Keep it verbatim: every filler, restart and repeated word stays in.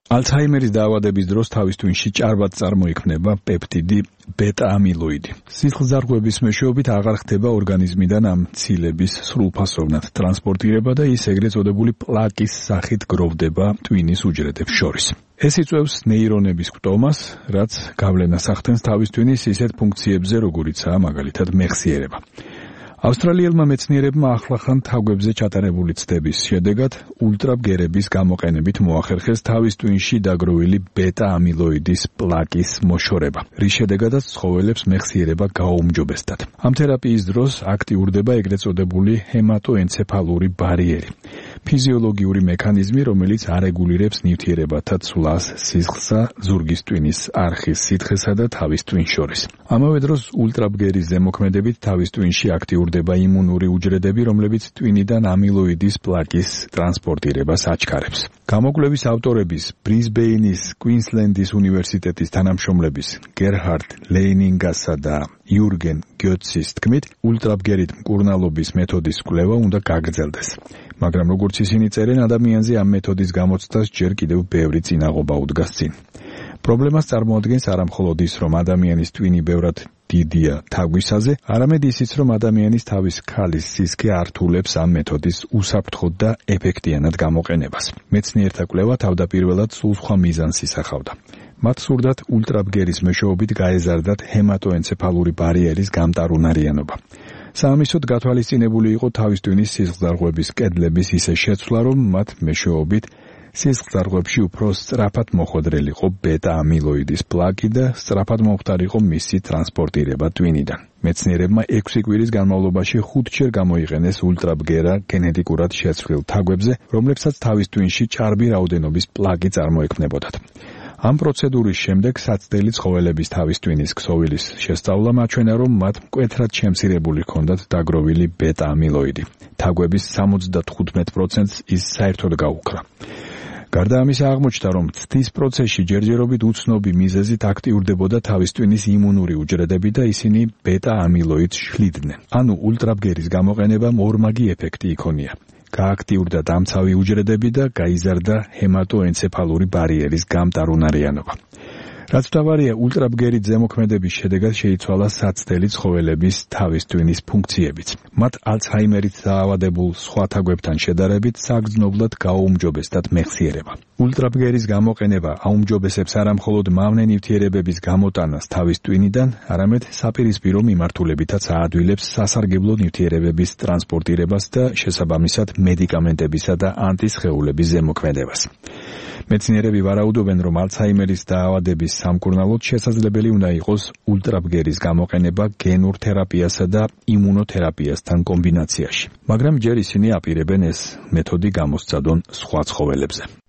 ალცჰაიმერის დაავადების დროს თავის ტვინში ჭარბად წარმოიქმნება პეპტიდი ბეტა-ამილოიდი. სისხლძარღვების მეშვეობით აღარ ხდება ორგანიზმიდან ამ ცილების სრულფასოვნად ტრანსპორტირება და ის ეგრეთ წოდებული პლაკის სახით გროვდება ტვინის უჯრედებს შორის. ეს იწვევს ნეირონების კვტომას, რაც გავლენას ახდენს თავის ტვინის ისეთ ფუნქციებზე, როგორიცაა მაგალითად მეხსიერება. ავსტრალიელმა მეცნიერებმა ახლახან თაგვებზე ჩატარებული ცდების შედეგად ულტრაბგერების გამოყენებით მოახერხეს თავის ტვინში დაგროვილი ბეტა-ამილოიდის პლაკის მოშორება, რის შედეგადაც ცხოველებს მეხსიერება გააუმჯობესდათ. ამ თერაპიის დროს აქტიურდება ეგრეთ წოდებული ჰემატოენცეფალური ბარიერი, ფიზიოლოგიური მექანიზმი, რომელიც არეგულირებს ნივთიერებათა ცვლას სისხლსა, ზურგის ტვინის არხის სითხესა და თავის ტვინს შორის. ამავე დროს ულტრაბგერის ზემოქმედებით თავის ტვინში აქტიურდება იმუნური უჯრედები, რომლებიც ტვინიდან ამილოიდის პლაკის ტრანსპორტირებას აჩქარებს. გამოკვლევის ავტორების ბრიზბეინის კუინსლენდის უნივერსიტეტის თანამშრომლების გერჰარდ ლეინინგასა და იურგენ გიოტსის თქმით, ულტრაბგერით მკურნალობის მეთოდის კვლევა უნდა გაგრძელდეს. მაგრამ როგორც ისინი წერენ, ადამიანზე ამ მეთოდის გამოცდას ჯერ კიდევ ბევრი წინაღობა უდგას წინ. პრობლემას წარმოადგენს არამხოლოდ ის, რომ ადამიანის ტვინი ბევრად დიდია თაგვისაზე, არამედ ისიც, რომ ადამიანის თავის ქალის სისქე ართულებს ამ მეთოდის უსაფრთხოდ და ეფექტიანად გამოყენებას. მეცნიერთა კვლევა თავდაპირველად სულ სხვა მიზანს ისახავდა. მათ სურდათ ულტრაბგერის მეშვეობით გაეზარდათ ჰემატოენცეფალური ბარიერის გამტარუნარიანობა. საამისოდ გათვალისწინებული იყო თავის ტვინის სისხლძარღვების კედლების ისე შეცვლა, რომ მათ მეშვეობით სისხლძარღვებში უფრო სწრაფად მოხვედრილიყო ბეტა-ამილოიდის პლაკი და სწრაფად მომხდარიყო მისი ტრანსპორტირება ტვინიდან. მეცნიერებმა ექვსი კვირის განმავლობაში ხუთჯერ გამოიყენეს ულტრაბგერა გენეტიკურად შეცვლილ თაგვებზე, რომლებსაც თავის ტვინში ჭარბი რაოდენობის პლაკი წარმოექმნებოდათ. ამ პროცედურის შემდეგ საცდელი ცხოველების თავის ტვინის ქსოვილის შესწავლამ აჩვენა, რომ მათ მკვეთრად შემცირებული ჰქონდათ დაგროვილი ბეტა-ამილოიდი. თაგვების სამოცდათხუთმეტ პროცენტს ის საერთოდ გაუქრა. გარდა ამისა აღმოჩნდა, რომ ცდის პროცესში ჯერჯერობით უცნობი მიზეზით აქტიურდებოდა თავის ტვინის იმუნური უჯრედები და ისინი ბეტა-ამილოიდს შლიდნენ. ანუ ულტრაბგერის გამოყენებამ ორმაგი ეფექტი იქონია. გააქტიურდა დამცავი უჯრედები და გაიზარდა ჰემატოენცეფალური ბარიერის გამტარუნარიანობა. რაც მთავარია, ულტრაბგერით ზემოქმედების შედეგად შეიცვალა საცდელი ცხოველების თავის ტვინის ფუნქციებიც. მათ ალცჰაიმერით დაავადებულ სხვა თაგვებთან შედარებით საგრძნობლად გააუმჯობესდათ მეხსიერება. ულტრაბგერის გამოყენება აუმჯობესებს არამხოლოდ მავნე ნივთიერებების გამოტანას თავის ტვინიდან, არამედ საპირისპირო მიმართულებითაც აადვილებს სასარგებლო ნივთიერებების ტრანსპორტირებას და შესაბამისად მედიკამენტებისა და ანტისხეულების ზემოქმედებას. მეცნიერები ვარაუდობენ, რომ ალცჰაიმერის დაავადების სამკურნალოდ შესაძლებელი უნდა იყოს ულტრაბგერის გამოყენება გენურ თერაპიასა და იმუნოთერაპიასთან კომბინაციაში. მაგრამ ჯერ ისინი აპირებენ ეს მეთოდი გამოსცადონ სხვა ცხოველებზე.